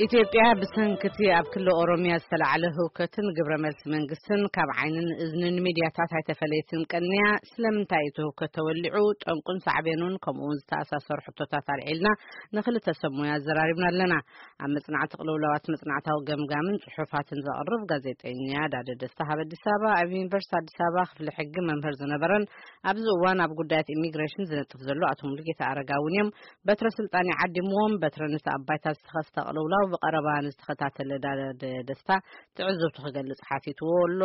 ኢትዮጵያ ብሰንክቲ ኣብ ክልል ኦሮሚያ ዝተላዕለ ህውከትን ግብረ መልሲ መንግስትን ካብ ዓይንን እዝንን ሚድያታት ኣይተፈለየትን ቀንያ። ስለምንታይ እቲ ህውከት ተወሊዑ? ጠንቁን ሳዕቤኑን ከምኡ እውን ዝተኣሳሰሩ ሕቶታት ኣልዒልና ንክልተ ሰብ ሞያ ኣዘራሪብና ኣለና። ኣብ መጽናዕቲ ቅልውላዋት መጽናዕታዊ ገምጋምን ጽሑፋትን ዘቕርብ ጋዜጠኛ ዳደ ደስታ ካብ ኣዲስ ኣበባ፣ ኣብ ዩኒቨርሲቲ ኣዲስ ኣበባ ክፍሊ ሕጊ መምህር ዝነበረን ኣብዚ እዋን ኣብ ጉዳያት ኢሚግሬሽን ዝነጥፍ ዘሎ ኣቶ ሙሉጌታ ኣረጋ እውን እዮም። በትረ ስልጣን ይዓዲምዎም፣ በትረ ነቲ ኣብ ባይታ ዝተኸስተ ቅልውላው ብቐረባ ንዝተኸታተለ ዳደ ደስታ ትዕዝብቱ ክገልጽ ሓቲትዎ ኣሎ።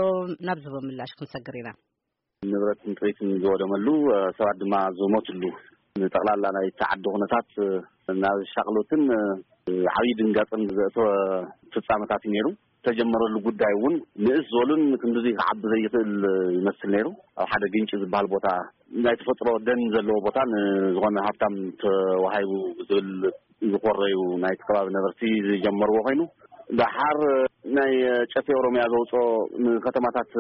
ናብ ዝቦ ምላሽ ክንሰግር ኢና። ንብረትን ጥሪትን ዝወደመሉ፣ ሰባት ድማ ዝሞትሉ፣ ንጠቕላላ ናይ ተዓዲ ኩነታት ናብ ሻቕሎትን ዓብዪ ድንጋፅን ዘእተወ ፍጻመታት እዩ ነይሩ። ተጀመረሉ ጉዳይ እውን ንእስ ዝበሉን ክንድዚ ክዓቢ ዘይኽእል ይመስል ነይሩ። ኣብ ሓደ ግንጪ ዝበሃል ቦታ፣ ናይ ተፈጥሮ ደን ዘለዎ ቦታ ንዝኾነ ሃብታም ተዋሂቡ ዝብል ዝኮረዩ ናይቲ ከባቢ ነበርቲ ዝጀመርዎ ኮይኑ፣ ደሓር ናይ ጨፌ ኦሮሚያ ዘውፅኦ ንከተማታት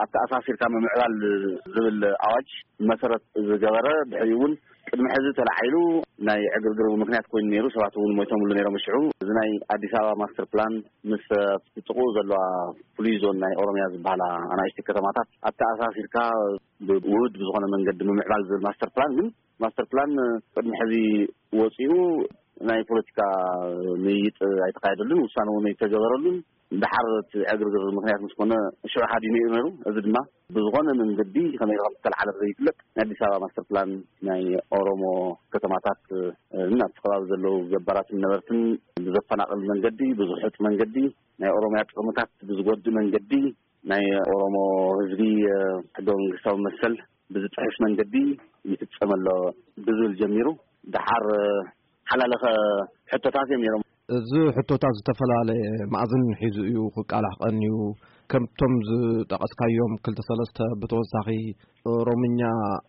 ኣተኣሳሲርካ ምምዕባል ዝብል ኣዋጅ መሰረት ዝገበረ፣ ድሕሪኡ እውን ቅድሚ ሕዚ ተላዒሉ ናይ ዕግርግር ምክንያት ኮይኑ ነይሩ። ሰባት እውን ሞይቶምሉ ነይሮም። ሽዑ እዚ ናይ ኣዲስ ኣበባ ማስተር ፕላን ምስ ጥቕኡ ዘለዋ ፍሉይ ዞን ናይ ኦሮሚያ ዝበሃላ ኣናእሽቲ ከተማታት ኣተኣሳሲርካ ብውህድ ብዝኾነ መንገዲ ምምዕባል ዝብል ማስተር ፕላን፣ ግን ማስተር ፕላን ቅድሚ ሕዚ ወፂኡ ናይ ፖለቲካ ምይይጥ ኣይተካየደሉን፣ ውሳነ እውን ኣይተገበረሉን። ደሓር እቲ ዕግርግር ምክንያት ምስ ኮነ ሽዑ ሓዲኑ እዩ ነይሩ። እዚ ድማ ብዝኾነ መንገዲ ከመይ ከም ዝተለዓለ ዘይፍለጥ ናይ ኣዲስ ኣበባ ማስተር ፕላን ናይ ኦሮሞ ከተማታት፣ እ፣ ናብቲ ከባቢ ዘለዉ ገባራትን ነበርትን ብዘፈናቕል መንገዲ፣ ብዝሑጥ መንገዲ፣ ናይ ኦሮሚያ ጥቕምታት ብዝጎድእ መንገዲ፣ ናይ ኦሮሞ ህዝቢ፣ እ፣ ሕገ መንግስታዊ መሰል ብዝጥሕስ መንገዲ ይፍጸም ኣሎ ብዝብል ጀሚሩ፣ ደሓር፣ እ፣ ሓላለኸ ሕቶታት እዮም ነይሮም። እዚ ሕቶታት ዝተፈላለየ መኣዝን ሒዙ እዩ ክቃላሕ ቀንዩ። ከምቶም ዝጠቐስካዮም ክልተ ሰለስተ፣ ብተወሳኺ ኦሮምኛ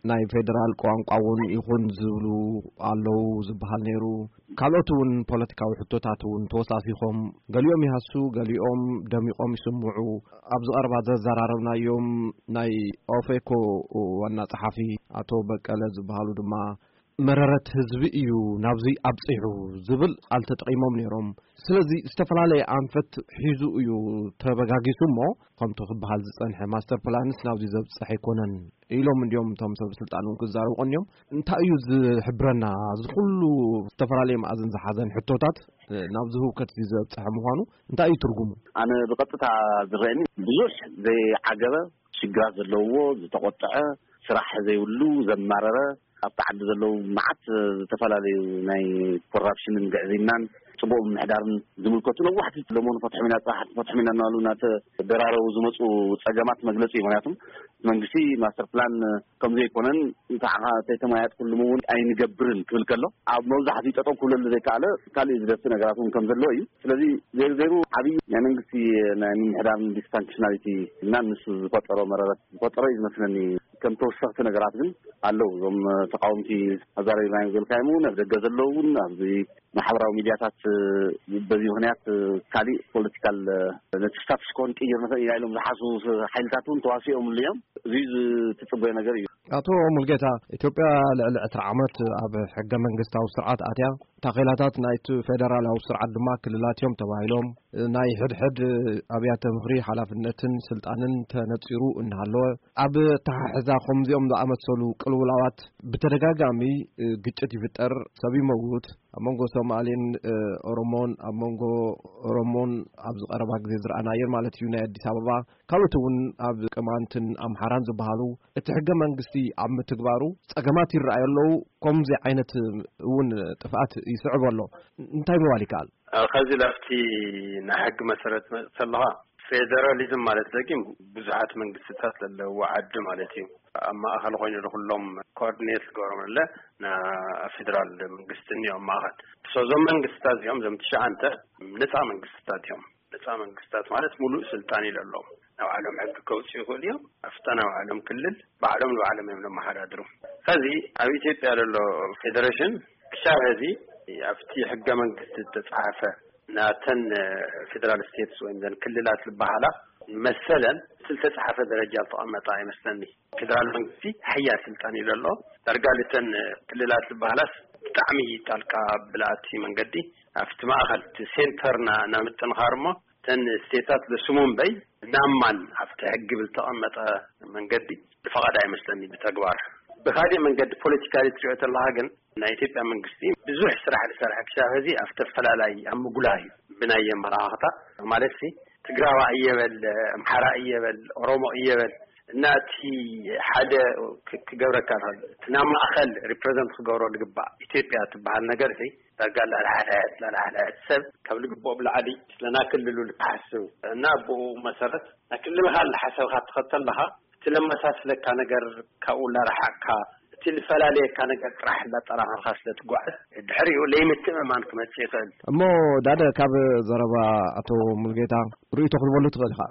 ናይ ፌደራል ቋንቋ እውን ይኹን ዝብሉ ኣለዉ ዝበሃል ነይሩ። ካልኦት እውን ፖለቲካዊ ሕቶታት እውን ተወሳሲኾም፣ ገሊኦም ይሃሱ፣ ገሊኦም ደሚቖም ይስምዑ። ኣብዚ ቀረባ ዘዘራረብናዮም ናይ ኦፌኮ ዋና ጸሓፊ ኣቶ በቀለ ዝበሃሉ ድማ፣ መረረት ህዝቢ እዩ ናብዚ ኣብጺሑ ዝብል ቃል ተጠቒሞም ነይሮም። ስለዚ ዝተፈላለየ ኣንፈት ሒዙ እዩ ተበጋጊሱ እሞ፣ ከምቲ ክበሃል ዝጸንሐ ማስተር ፕላንስ ናብዚ ዘብጽሕ ኣይኮነን ኢሎም እንዲዮም እቶም ሰብ ስልጣን እውን ክዛረቡ ቀንዮም። እንታይ እዩ ዝሕብረና? እዚ ኩሉ ዝተፈላለየ መኣዝን ዝሓዘን ሕቶታት፣ እ፣ ናብዚ ህውከት እዚ ዘብጽሐ ምዃኑ እንታይ እዩ ትርጉሙ? ኣነ ብቐጥታ ዝረአኒ ብዙሕ ዘይዓገበ ሽግራት ዘለውዎ፣ ዝተቖጥዐ፣ ስራሕ ዘይብሉ፣ ዘማረረ፣ ኣብቲ ዓዲ ዘለዉ መዓት ዝተፈላለዩ ናይ ኮራፕሽንን ግዕዝይናን ጽቡቕ ምምሕዳርን ዝምልከቱ ነዋሕቲ ለመኑ ፈትሖም ኢና፣ ጽባሕ ፈትሖም ኢና እናበሉ እናተደራረቡ ዝመጹ ጸገማት መግለጺ እዩ። ምክንያቱም መንግስቲ ማስተር ፕላን ከም ዘይኮነን፣ እንተዓኻ ተይተመያየጥኩሉ እውን ኣይንገብርን ክብል ከሎ፣ ኣብ መብዛሕትኡ ጠጠው ክብለሉ ዘይከኣለ ካልእ ዝደፍእ ነገራት እውን ከም ዘለዎ እዩ። ስለዚ ዜሩ ዜሩ ዓብዪ ናይ መንግስቲ ናይ ምምሕዳርን ዲስፋንክሽናሊቲ እና ንሱ ዝፈጠሮ መረረት ዝፈጠሮ እዩ ዝመስለኒ። ከም ተወሰኽቲ ነገራት ግን ኣለዉ። እዞም ተቃወምቲ ኣዛረቢናዮም ዝበልካዮም እውን ኣብ ደገ ዘለዉ እውን ኣብዚ ማሕበራዊ ሚድያታት በዚ ምክንያት ካሊእ ፖለቲካል ነቲ ስታትስ ኮ ክንቅይር ንኽእል ኢና ኢሎም ዝሓስቡ ሓይልታት እውን ተዋሲኦምሉ እዮም። እዚ ዝትጽበዮ ነገር እዩ። ኣቶ ሙልጌታ፣ ኢትዮጵያ ልዕሊ ዕስራ ዓመት ኣብ ሕገ መንግስታዊ ስርዓት ኣትያ፣ ታኼላታት ናይቲ ፌደራላዊ ስርዓት ድማ ክልላት እዮም ተባሂሎም፣ ናይ ሕድሕድ ኣብያተ ምኽሪ ሓላፍነትን ስልጣንን ተነጺሩ እናሃለወ፣ ኣብ ኣተሓሕዛ ከምዚኦም ዝኣመሰሉ ቅልውላዋት ብተደጋጋሚ ግጭት ይፍጠር፣ ሰብ ይመውት፣ ኣብ መንጎ ሶማሌን፣ እ፣ ኦሮሞን፣ ኣብ መንጎ ኦሮሞን ኣብዚ ቀረባ ግዜ ዝረኣናዮን ማለት እዩ፣ ናይ ኣዲስ ኣበባ፣ ካልኦት እውን ኣብ ቅማንትን ኣምሓራን ዝበሃሉ፣ እቲ ሕገ መንግስቲ ኣብ ምትግባሩ ጸገማት ይረኣዩ ኣለዉ። ከምዚ ዓይነት እውን ጥፍኣት ይስዕብ ኣሎ። እንታይ ምባል ይከኣል? እ፣ ከዚ ላፍቲ ናይ ሕጊ መሰረት መጽእ ከለኻ፣ ፌደራሊዝም ማለት ደጊም ብዙሓት መንግስትታት ዘለውዎ ዓዲ ማለት እዩ። ኣብ ማእኸል ኮይኑ ንኩሎም ኮኦርዲኔት ዝገብሮም ኣለ፣ ና ፌደራል መንግስቲ እኒኦ ኣብ ማእኸል። ሶ እዞም መንግስታት እዚኦም፣ እዞም ትሽዓንተ ነፃ መንግስታት እዮም። ነፃ መንግስታት ማለት ሙሉእ ስልጣን እዩ ዘለዎም። ናይ ባዕሎም ሕጊ ከውፅኡ ይኽእሉ እዮም። ኣብታ ናይ ባዕሎም ክልል ባዕሎም ንባዕሎም እዮም ዘመሓዳድሩ። ከዚ ኣብ ኢትዮጵያ ዘሎ ፌደሬሽን ክሻብ ሕዚ ኣብቲ ሕገ መንግስቲ ዝተፅሓፈ ናተን ፌደራል ስቴትስ ወይም ዘን ክልላት ዝበሃላ መሰለን ዝተፅሓፈ ደረጃ ዝተቐመጠ ኣይመስለኒ። ፌደራል መንግስቲ ሓያል ስልጣን እዩ ዘሎ። ዳርጋ ልተን ክልላት ዝበሃላስ ብጣዕሚ ጣልቃ ብላእቲ መንገዲ ኣብቲ ማእኸል እቲ ሴንተር ና- ናብ ምጥንኻር እሞ እተን ስቴታት ለስሙ እምበይ ናማን ኣብቲ ሕጊ ብልተቐመጠ መንገዲ ዝፈቐደ ኣይመስለኒ ብተግባር። ብካሊእ መንገዲ ፖለቲካሊ ትሪኦ ተለኻ ግን ናይ ኢትዮጵያ መንግስቲ ብዙሕ ስራሕ ዝሰርሐ ክሳብ ሕዚ ኣብ ተፈላላይ ኣብ ምጉላህ እዩ። ብናይ ኣመራኻኽታ ማለት ሲ ትግራዋ እየበል፣ ኣምሓራ እየበል፣ ኦሮሞ እየበል እና እቲ ሓደ ክ- ክገብረካ ይኽእል እቲ ናብ ማእኸል ሪፕሬዘንት ክገብሮ ዝግባእ ኢትዮጵያ ትበሃል ነገር ሲ ዳጋ ላላሓዳያት ላላሓዳያት ሰብ ካብ ልግብኦም ላዕሊ ስለና ክልሉ ልክሓስብ እና ብኡ መሰረት ናይ ክልልኻ ልሓሰብካ ትኸተል ኣለኻ። እቲ ለመሳስለካ ነገር ካብኡ ላረሓቅካ እቲ ልፈላለየካ ነገር ጥራሕ እንዳጠራኸርካ ስለ ትጓዓዝ ድሕሪኡ ለይምትእምማን ክመጽእ ይኽእል። እሞ ዳደ ካብ ዘረባ ኣቶ ሙልጌታ ርእይቶ ክትበሉ ትኽእል ኢኻ።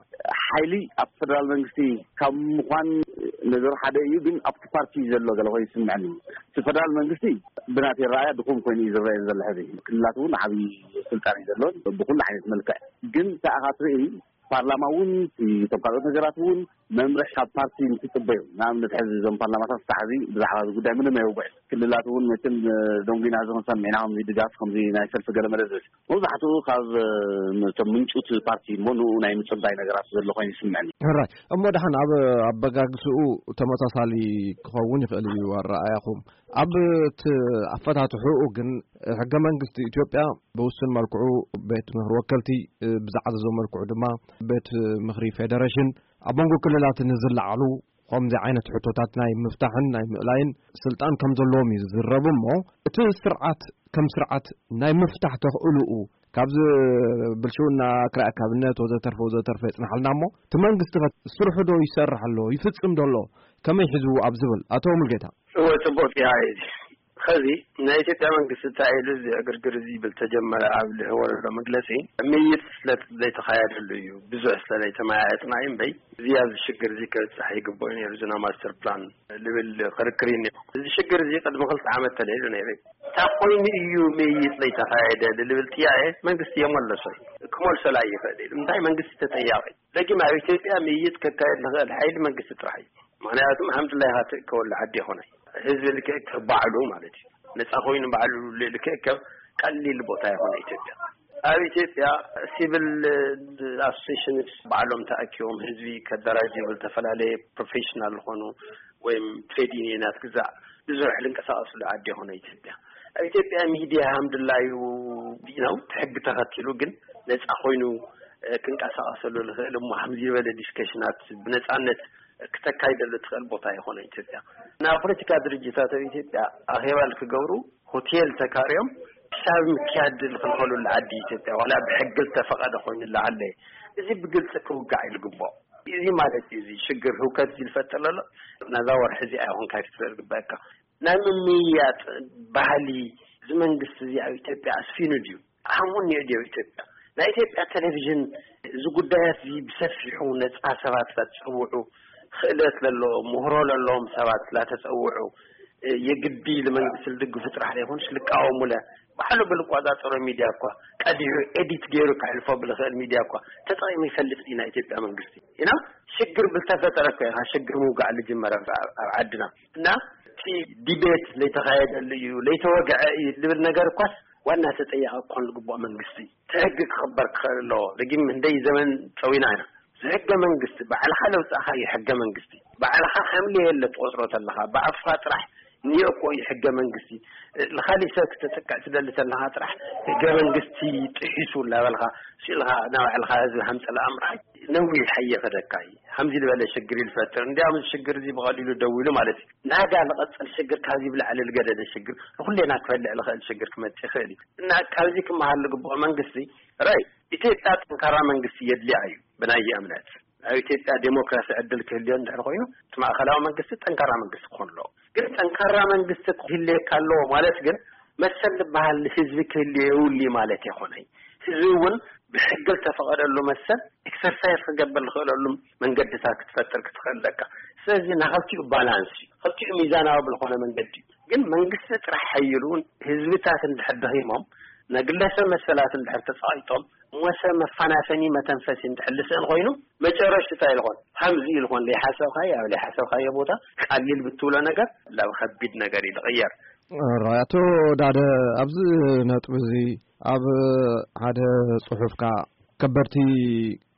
ሓይሊ ኣብ ፌደራል መንግስቲ ካብ ምዃን ነገር ሓደ እዩ፣ ግን ኣብቲ ፓርቲ ዘሎ ገለ ኮይኑ ይስምዐኒ። እቲ ፌደራል መንግስቲ ብናተይ ረኣያ ድኹም ኮይኑ እዩ ዝረአ ዘሎ ሕዚ። ክልላት እውን ዓብዪ ስልጣን እዩ ዘለዎን ብኩሉ ዓይነት መልክዕ። ግን ተኣኻ ትርኢ ፓርላማ እውን እቶም ካልኦት ነገራት እውን መምርሒ ካብ ፓርቲ እንትፅበዩ፣ ንኣብነት ሕዚ እዞም ፓርላማታት ክሳዕ ሕዚ ብዛዕባ እዚ ጉዳይ ምንም ኣይውግዕን። ክልላት እውን መቸም ደንጉና እዚ ክንሰምዕ ኢና፣ ከምዚ ድጋፍ ከምዚ ናይ ሰልፊ ገለመለ ዝብል መብዛሕትኡ ካብ እቶም ምንጩት ፓርቲ እሞ ንኡ ናይ ምፅባይ ነገራት ዘሎ ኮይኑ ይስምዐኒ። ሕራይ እሞ ደሓን ኣብ ኣበጋግስኡ ተመሳሳሊ ክኸውን ይኽእል እዩ ኣረኣያኹም። ኣብ እቲ ኣፈታትሕኡ ግን ሕገ መንግስቲ ኢትዮጵያ ብውሱን መልክዑ ቤት ምኽሪ ወከልቲ ብዝዓዘዞ መልክዑ ድማ ቤት ምኽሪ ፌደሬሽን ኣብ መንጎ ክልላት ንዝለዓሉ ከምዚ ዓይነት ሕቶታት ናይ ምፍታሕን ናይ ምእላይን ስልጣን ከም ዘለዎም እዩ ዝዝረብ። እሞ እቲ ስርዓት ከም ስርዓት ናይ ምፍታሕ ተኽእልኡ ካብዚ ብልሽውና ክራይ ኣካብነት ወዘተርፈ ወዘተርፈ የፅንሓልና እሞ እቲ መንግስቲ ከ ስርሑ ዶ ይሰርሕ ኣሎ ይፍፅም ዶ ኣሎ ከመይ ሒዝዎ ኣብ ዝብል ኣቶ ሙልጌታ። እወ፣ ጽቡቕ ጥያቄ እዩ። ኸዚ ናይ ኢትዮጵያ መንግስቲ እንታይ ኢሉ እዚ ዕግርግር እዚ ይብል ተጀመረ ኣብ ልህቦ ዘሎ መግለጺ ምይይጥ ስለ ዘይተኻየደሉ እዩ። ብዙሕ ስለ ዘይተመያየጥና እዩ እምበይ እዚ ኣብዚ ሽግር እዚ ክብጻሕ ይግብኦ ነይሩ ዝና ማስተር ፕላን ልብል ክርክር እዩ ነይሩ። እዚ ሽግር እዚ ቅድሚ ክልተ ዓመት ተለይሉ ነይሩ እዩ። እንታይ ኮይኑ እዩ ምይይጥ ዘይተኻየደ ልብል ጥያቄ መንግስቲ የመለሶ እዩ። ክመልሶ ላይ ይኽእል እዩ። እንታይ መንግስቲ ተጠያቂ ደጊም ኣብ ኢትዮጵያ ምይይጥ ከካየድ ንኽእል ሓይሊ መንግስቲ ጥራሕ እዩ። ምኽንያቱም ሃምድላይኻ ትእከበሉ ዓዲ ይኾነ ህዝቢ ልክእከብ ባዕሉ ማለት እዩ። ነፃ ኮይኑ ባዕሉ ልክእከብ ቀሊል ቦታ ይኾነ ኢትዮጵያ። ኣብ ኢትዮጵያ ሲቪል ኣሶሴሽንስ ባዕሎም ተኣኪቦም ህዝቢ ከደራጅ ይብል፣ ዝተፈላለየ ፕሮፌሽናል ዝኾኑ ወይም ትሬድ ዩኒየናት ግዛዕ ብዙሕ ልንቀሳቀስሉ ዓዲ ይኾነ ኢትዮጵያ። ኣብ ኢትዮጵያ ሚድያ ሃምድላዩ ነው ሕጊ ተኸቲሉ ግን ነፃ ኮይኑ ክንቀሳቀሰሉ ልኽእል እሞ ከምዚ ዝበለ ዲስከሽናት ብነፃነት ክተካይደሉ ትኽእል ቦታ ይኾነ ኢትዮጵያ። ናይ ፖለቲካ ድርጅታት ኣብ ኢትዮጵያ ኣኼባ ልክገብሩ ሆቴል ተካርዮም ክሳብ ምክያድ ልኽልኸሉሉ ዓዲ ኢትዮጵያ ዋላ ብሕጊ ዝተፈቐደ ኮይኑ ለዓለ እዚ ብግልፂ ክውጋዕ እዩ ልግባኦ። እዚ ማለት እዩ እዚ ሽግር ህውከት እዚ ልፈጥር ለሎ ናዛ ወርሒ እዚ ኣይኹን ካይፍትረ ዝግበአካ ናይ ምምይያጥ ባህሊ እዚ መንግስቲ እዚ ኣብ ኢትዮጵያ ኣስፊኑ ድዩ? ኣህሙን ኒዕድዮ ኢትዮጵያ ናይ ኢትዮጵያ ቴሌቪዥን እዚ ጉዳያት እዚ ብሰፊሑ ነፃ ሰባት ላተፀውዑ ክእለት ለለዎም ምህሮ ለለዎም ሰባት ላተፀውዑ የግዲ ልመንግስቲ ልድግፉ ጥራሕ ዘይኮንስ ልቃወሙለ ባዕሉ ብልቋፃፀሮ ሚድያ እኳ ቀዲሑ ኤዲት ገይሩ ክሕልፎ ብልኽእል ሚድያ እኳ ተጠቂሙ ይፈልጥ እዩ ናይ ኢትዮጵያ መንግስቲ ኢና ሽግር ብልተፈጠረ እኮ ኢኻ ሽግር ምውጋዕ ልጅመረ ኣብ ዓድና እና እቲ ዲቤት ለይተኻየደሉ እዩ ለይተወግዐ እዩ ልብል ነገር እኳስ ዋና ተጠያቂ ክኾን ዝግብኦ መንግስቲ እዩ። እቲ ሕጊ ክኽበር ክኽእል ኣለዎ። ደጊም ህንደይ ዘመን ፀዊና ኢና። እዚ ሕገ መንግስቲ ባዕልኻ ለውፃእኻዮ ሕገ መንግስቲ ባዕልኻ ከም ለየለ ትቆፅሮ ተለኻ ብኣፍኻ ጥራሕ እኒኦ እኮ እዩ ሕገ መንግስቲ። ንኻሊእ ሰብ ክተጥቅዕ ትደሊ ተለኻ ጥራሕ ሕገ መንግስቲ ጥሒሱ እናበልኻ ስኢልኻ ናባዕልኻ ህዝቢ ሃምፀላ ምርኣይ ነዊሕ ሓየ ከደካ እዩ። ከምዚ ዝበለ ሽግር እዩ ዝፈጥር። እንዲያውም እዚ ሽግር እዚ ብቐሊሉ ደው ኢሉ ማለት እዩ። ናጋ ዝቐፅል ሽግር ካብዚ ብላዕሊ ዝገደደ ሽግር ንኹሌና ክፈልዕ ዝኽእል ሽግር ክመፅእ ይኽእል እዩ። እና ካብዚ ክመሃር ዝግብኦ መንግስቲ ራይ ኢትዮጵያ ጠንካራ መንግስቲ የድልያ እዩ ብናይ እምነት። ኣብ ኢትዮጵያ ዴሞክራሲ ዕድል ክህልዮ እንድሕር ኮይኑ እቲ ማእኸላዊ መንግስቲ ጠንካራ መንግስቲ ክኾን ኣለዎ። ግን ጠንካራ መንግስቲ ክህልየካ ኣለዎ ማለት ግን መሰል ዝበሃል ንህዝቢ ክህልዮ የብሉ ማለት የኾነይ። ህዝቢ እውን ብሕጊ ዝተፈቐደሉ መሰል ኤክሰርሳይዝ ክገብር ዝኽእለሉ መንገድታት ክትፈጥር ክትኽእል ኣለካ። ስለዚ ናይ ክልቲኡ ባላንስ እዩ። ክልቲኡ ሚዛናዊ ብዝኾነ መንገዲ እዩ። ግን መንግስቲ ጥራሕ ሓይሉ ህዝብታት እንድሕር ደኺሞም ናይ ግለሰብ መሰላት እንድሕር ተፃቒጦም ሞሰ መፈናፈኒ መተንፈሲ እንድሕር ልስእን ኮይኑ መጨረሽታ ይልኾን ሃምዚ ይልኾን ለይሓሰብካዮ ኣብ ለይሓሰብካዮ ቦታ ቀሊል ብትብሎ ነገር ናብ ከቢድ ነገር እዩ ዝቕየር። ራይ፣ ኣቶ ዳደ፣ ኣብዚ ነጥቢ እዚ ኣብ ሓደ ጽሑፍካ ከበድቲ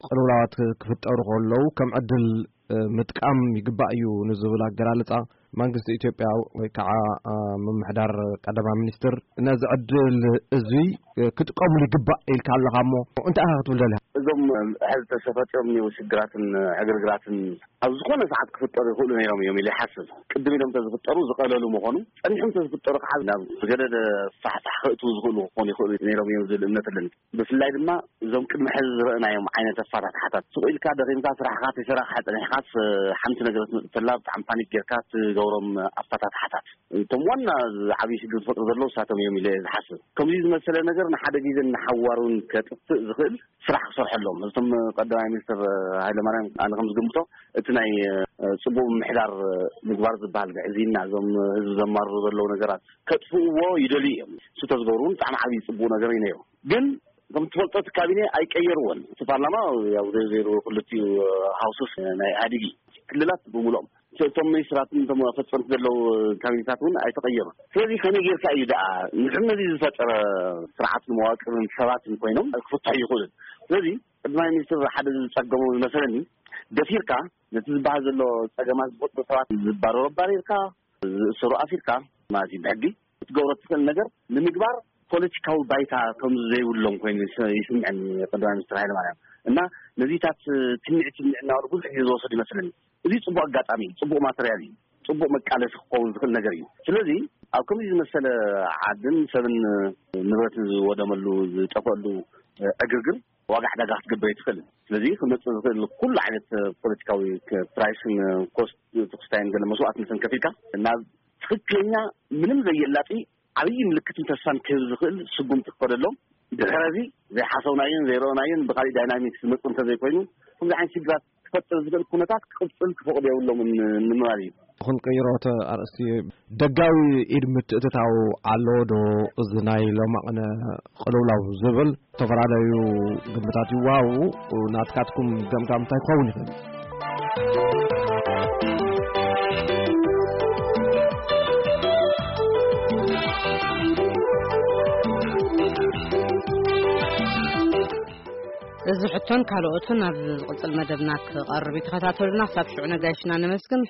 ቅልውላዋት ክፍጠሩ ከለዉ ከም ዕድል ምጥቃም ይግባእ እዩ ንዝብል ኣገላልጻ መንግስቲ ኢትዮጵያ ወይ ከዓ ምምሕዳር ቀዳማይ ሚኒስትር ነዚ ዕድል እዚ ክጥቀሙሉ ይግባእ ኢልካ ኣለኻ እሞ እንታይ ኢኻ ክትብል ደሊኻ? እዞም ሕዚ ተሰፈጢሮም እኒው ሽግራትን ዕግርግራትን ኣብ ዝኾነ ሰዓት ክፍጠሩ ይኽእሉ ነይሮም እዮም ኢለ ይሓስብ። ቅድም ኢሎም ተዝፍጠሩ ዝቐለሉ ምኾኑ፣ ጸኒሖም ተዝፍጠሩ ከዓ ናብ ዝገደደ ፋሕፋሕ ክእትዉ ዝኽእሉ ክኾኑ ይኽእሉ ነይሮም እዮም ዝብል እምነት ኣለኒ። ብፍላይ ድማ እዞም ቅድሚ ሕዚ ዝረእናዮም ዓይነት ኣፋታትሓታት፣ ስቕ ኢልካ ደኺምካ ስራሕካ ተሰራሕካ ጸኒሕካስ ሓንቲ ነገር ትመጽእ ተላ ብጣዕሚ ፓኒክ ጌርካ ትገብሮም ኣፋታትሓታት፣ እቶም ዋና ዓብዪ ሽግር ዝፈጥሩ ዘለዉ እሳቶም እዮም ኢለ ዝሓስብ። ከምዚ ዝመሰለ ነገር ንሓደ ግዜ ንሓዋር እውን ከጥፍእ ዝኽእል ስራሕ ክሰርሐሎም። እቶም ቀዳማይ ሚኒስትር ሃይለማርያም ኣነ ከም ዝግምቶ እቲ ናይ ጽቡቕ ምምሕዳር ምግባር ዝበሃል ብሕዚና እዞም ህዝቢ ዘማርሩ ዘለዉ ነገራት ከጥፍእዎ ይደልዩ እዮም። እሱ ተዝገብሩ እውን ብጣዕሚ ዓብዪ ጽቡቕ ነገር እዩ ነይሩ። ግን ከም ትፈልጦ እቲ ካቢኔ ኣይቀየርዎን። እቲ ፓርላማ ያው ዘይሩ ክልቲኡ ሃውስስ ናይ ኢህኣዴግ እዩ። ክልላት ብምሉኦም እቶም ሚኒስትራትን እቶም ፈጸምቲ ዘለዉ ካቢኔታት እውን ኣይተቐየሩን። ስለዚ ከመይ ጌርካ እዩ ደኣ ንሕን ነዚ ዝፈጠረ ስርዓትን መዋቅርን ሰባትን ኮይኖም ክፍትሑ ይኽእሉን? ስለዚ ቀዳማይ ሚኒስትር ሓደ ዝጸገሞ ዝመሰለኒ ደፊርካ ነቲ ዝበሃል ዘሎ ጸገማት ዝፈጥሩ ሰባት ዝባረሩ ኣባሪርካ ዝእሰሩ ኣሲርካ ማለት እዩ ብሕጊ ክትገብሮ ትኽእል ነገር ንምግባር ፖለቲካዊ ባይታ ከም ዘይብሎም ኮይኑ ይስ- ይስምዐኒ ቀዳማይ ሚኒስትር ሃይለማርያም እና ነዚታት ትምኒዕ ትምኒዕ እናበሉ ብዙሕ ግዜ ዝወሰዱ ይመስለኒ። እዚ ጽቡቕ ኣጋጣሚ እዩ፣ ጽቡቕ ማተርያል እዩ፣ ጽቡቕ መቃለሲ ክኸውን ዝኽእል ነገር እዩ። ስለዚ ኣብ ከምዚ ዝመሰለ ዓድን ሰብን ንብረትን ዝወደመሉ ዝጠፈሉ ዕግርግር ዋጋ ዕዳጋ ክትገብር ኣይትኽእልን። ስለዚ ክመፅእ ዝኽእል ኩሉ ዓይነት ፖለቲካዊ ፕራይስን ኮስት ተክስታይን ገለ መስዋእትነትን ከፊልካ ናብ ትኽክለኛ ምንም ዘየላጢ ዓብዪ ምልክትን ተስፋን ክህብ ዝኽእል ስጉምቲ ክኸደሎም ድሕረዚ ዘይሓሰብናዮን ዘይረእናዮን ብካሊእ ዳይናሚክስ ዝመፅእ እንተዘይኮይኑ ከምዚ ዓይነት ሽግራት ክፈጥር ዝኽእል ኩነታት ክቕፅል ክፈቕዱ የብሎምን ንምባል እዩ። ክንቅይሮ እቲ ኣርእስቲ ደጋዊ ኢድ ምትእትታው ኣሎ ዶ? እዚ ናይ ሎማቕነ ቅልውላው ዝብል ዝተፈላለዩ ግምታት ይወሃቡ። ናትካትኩም ገምጋም እንታይ ክኸውን ይኽእል? እዚ ሕቶን ካልኦትን ኣብ ዝቕጽል መደብና ክቐርብ እዩ። ተኸታተሉና። ክሳብ ሽዑ ነጋይሽና ነመስግን።